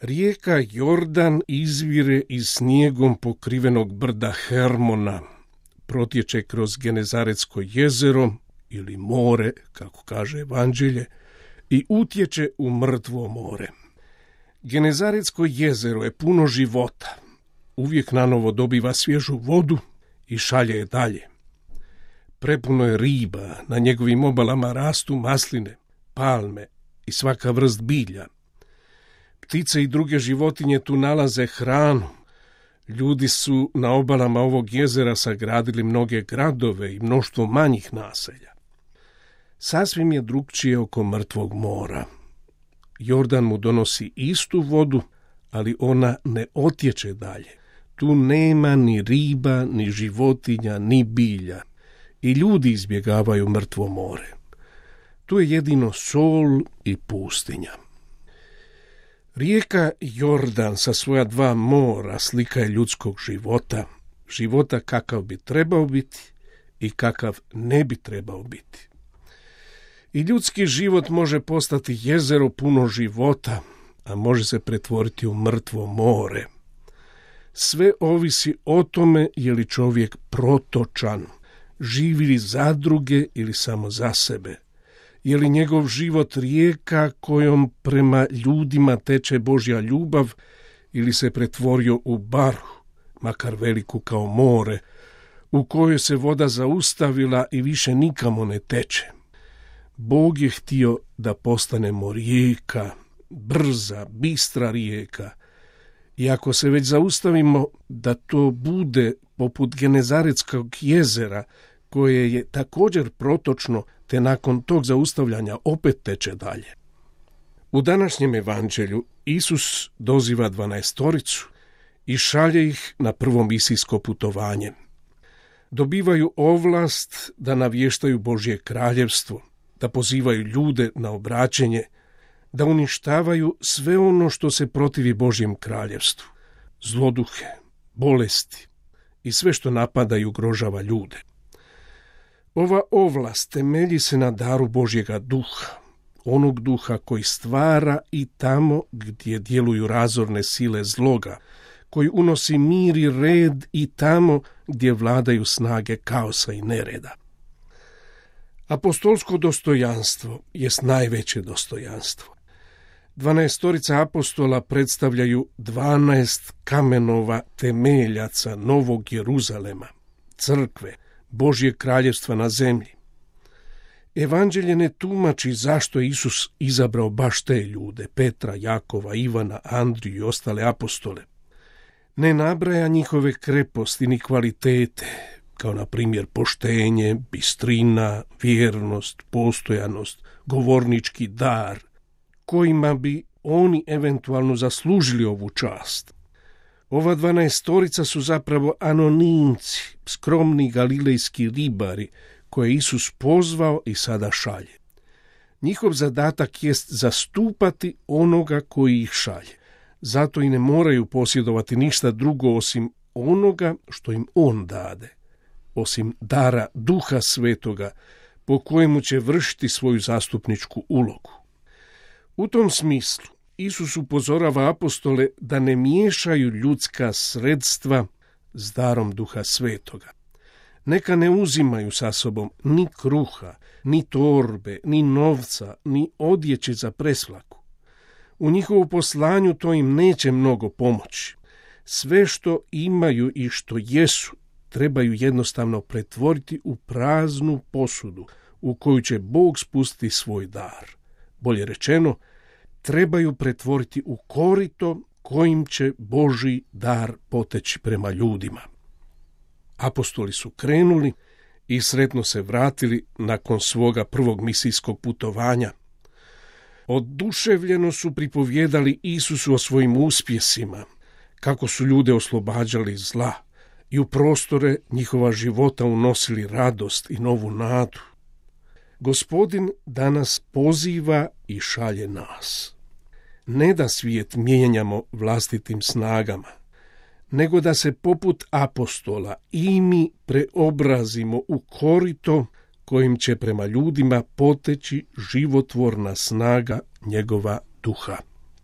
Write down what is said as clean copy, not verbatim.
Rijeka Jordan izvire iz snijegom pokrivenog brda Hermona, protječe kroz Genezaretsko jezero ili more, kako kaže Evanđelje, i utječe u mrtvo more. Genezaretsko jezero je puno života, uvijek nanovo dobiva svježu vodu i šalje je dalje. Prepuno je riba, na njegovim obalama rastu masline, palme i svaka vrst bilja. Ptice i druge životinje tu nalaze hranu. Ljudi su na obalama ovog jezera sagradili mnoge gradove i mnoštvo manjih naselja. Sasvim je drukčije oko mrtvog mora. Jordan mu donosi istu vodu, ali ona ne otječe dalje. Tu nema ni riba, ni životinja, ni bilja. I ljudi izbjegavaju mrtvo more. Tu je jedino sol i pustinja. Rijeka Jordan sa svoja dva mora slika je ljudskog života, života kakav bi trebao biti i kakav ne bi trebao biti. I ljudski život može postati jezero puno života, a može se pretvoriti u mrtvo more. Sve ovisi o tome je li čovjek protočan, živi li za druge ili samo za sebe. Je li njegov život rijeka kojom prema ljudima teče Božja ljubav ili se pretvorio u baru, makar veliku kao more, u kojoj se voda zaustavila i više nikamo ne teče. Bog je htio da postanemo rijeka, brza, bistra rijeka. I ako se već zaustavimo da to bude poput Genezaretskog jezera, koje je također protočno, te nakon tog zaustavljanja opet teče dalje. U današnjem evanđelju Isus doziva 12 i šalje ih na prvo misijsko putovanje. Dobivaju ovlast da navještaju Božje kraljevstvo, da pozivaju ljude na obraćenje, da uništavaju sve ono što se protivi Božjem kraljevstvu, zloduhe, bolesti i sve što napada i ugrožava ljude. Ova ovlast temelji se na daru Božjega duha, onog duha koji stvara i tamo gdje djeluju razorne sile zloga, koji unosi mir i red i tamo gdje vladaju snage kaosa i nereda. Apostolsko dostojanstvo jest najveće dostojanstvo. 12 apostola predstavljaju 12 kamenova temeljaca Novog Jeruzalema, crkve, Božje kraljevstva na zemlji. Evanđelje ne tumači zašto je Isus izabrao baš te ljude, Petra, Jakova, Ivana, Andriju i ostale apostole. Ne nabraja njihove kreposti ni kvalitete, kao na primjer poštenje, bistrina, vjernost, postojanost, govornički dar, kojima bi oni eventualno zaslužili ovu čast. Ova 12 su zapravo anonimci, skromni galilejski ribari, koje Isus pozvao i sada šalje. Njihov zadatak jest zastupati onoga koji ih šalje. Zato i ne moraju posjedovati ništa drugo osim onoga što im on dade, osim dara Duha Svetoga, po kojemu će vršiti svoju zastupničku ulogu. U tom smislu Isus upozorava apostole da ne miješaju ljudska sredstva s darom Duha Svetoga. Neka ne uzimaju sa sobom ni kruha, ni torbe, ni novca, ni odjeće za presvlaku. U njihovu poslanju to im neće mnogo pomoći. Sve što imaju i što jesu trebaju jednostavno pretvoriti u praznu posudu u koju će Bog spustiti svoj dar. Bolje rečeno, trebaju pretvoriti u korito kojim će Božji dar poteći prema ljudima. Apostoli su krenuli i sretno se vratili nakon svoga prvog misijskog putovanja. Oduševljeno su pripovjedali Isusu o svojim uspjesima, kako su ljude oslobađali zla i u prostore njihova života unosili radost i novu nadu. Gospodin danas poziva i šalje nas. Ne da svijet mijenjamo vlastitim snagama, nego da se poput apostola i mi preobrazimo u korito kojim će prema ljudima poteći životvorna snaga njegova duha.